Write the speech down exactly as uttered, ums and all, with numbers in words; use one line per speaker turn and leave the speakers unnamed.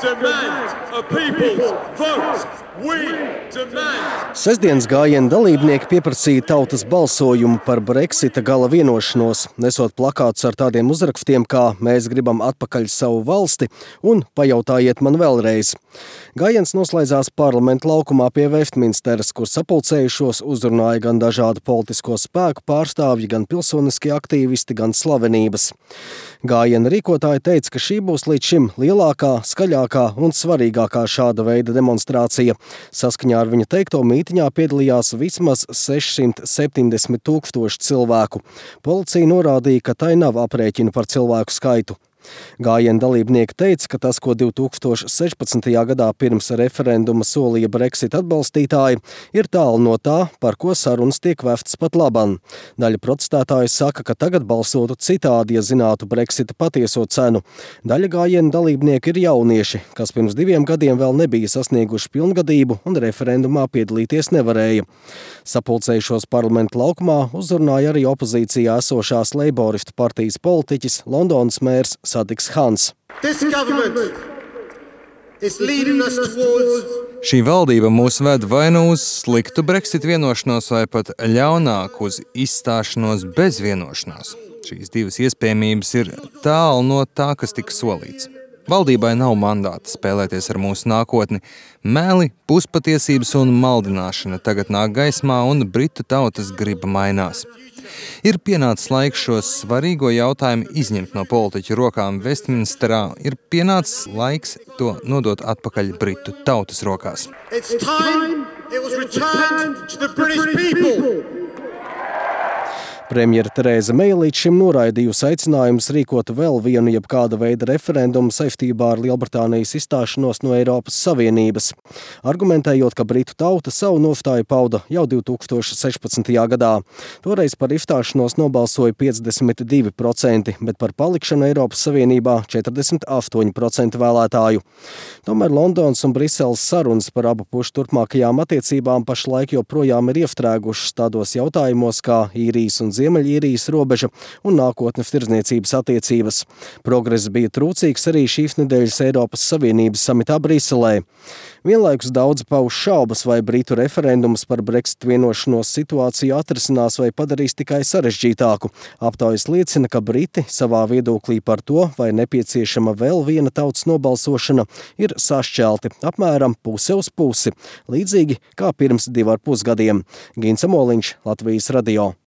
demand a people's vote. We demand.
Sestdienas gājiena dalībnieki pieprasīja tautas balsojumu par Brexita gala vienošanos, nesot plakātus ar tādiem uzrakstiem kā "Mēs gribam atpakaļ savu valsti" un "Pajautājiet man vēlreiz". Gājiens noslēdzās parlamenta laukumā pie Vestminsteras, kur sapulcējušos uzrunāja gan dažādu politisko spēku pārstāvji, gan pilsoniskie aktīvisti, gan slavenības. Gājiena rīkotāji teica, ka šī būs līdz šim lielākā, skaļākā un svarīgākā šāda veida demonstrācija. Saskaņā ar viņa teikto mītiņā piedalījās vismaz sešsimt septiņdesmit tūkstoši cilvēku. Policija norādīja, ka tai nav aprēķina par cilvēku skaitu. Gājiena dalībnieki teica, ka tas, ko divi tūkstoši sešpadsmitajā gadā pirms referenduma solīja Brexit atbalstītāji, ir tālu no tā, par ko sarunas tiek vestas pat laban. Daļa protestētāju saka, ka tagad balsotu citādi, ja zinātu Brexita patieso cenu. Daļa gājiena dalībnieki ir jaunieši, kas pirms diviem gadiem vēl nebija sasnieguši pilngadību un referendumā piedalīties nevarēja. Sapulcējušos parlamenta laukumā uzrunāja arī opozīcijā esošās Leiboristu partijas politiķis, Londonas mērs Sadiks Hans.
Šī valdība mūs ved vai nu uz sliktu Brexit vienošanos, vai pat ļaunāk uz izstāšanos bez vienošanās. Šīs divas iespējamības ir tālu no tā, kas tika solīts. Valdībai nav mandāta spēlēties ar mūsu nākotni. Meli, puspatiesības un maldināšana tagad nāk gaismā un britu tautas griba mainās. Ir pienācis laiks šos svarīgo jautājumu izņemt no politiķu rokām Vestminsterā. Ir pienācis laiks to nodot atpakaļ britu tautas rokās.
It's time it was returned to the British people.
Premjera Tereza Meija līdz šim noraidījusi aicinājumus rīkot vēl vienu jebkāda veida referendumu saistībā ar Lielbritānijas izstāšanos no Eiropas Savienības, argumentējot, ka britu tauta savu nostāju pauda jau divi tūkstoši sešpadsmitajā gadā. Toreiz par izstāšanos nobalsoja piecdesmit divi procenti, bet par palikšanu Eiropas Savienībā četrdesmit astoņi procenti vēlētāju. Tomēr Londonas un Briseles sarunas par abu pušu turpmākajām attiecībām pašlaik joprojām ir iestrēgušas tādos jautājumos kā Īrijas un Ziemeļīrijas robeža un nākotnes tirdzniecības attiecības. Progress bija trūcīgs arī šīs nedēļas Eiropas Savienības samitā Briselē. Vienlaikus daudz pauž šaubas, vai britu referendums par Brexit vienošanos situāciju atrisinās vai padarīs tikai sarežģītāku. Aptaujas liecina, ka briti savā viedoklī par to, vai nepieciešama vēl viena tautas nobalsošana, ir sašķelti apmēram puse uz pusi, līdzīgi kā pirms divu ar pus gadiem. Gins Amoliņš, Latvijas radio.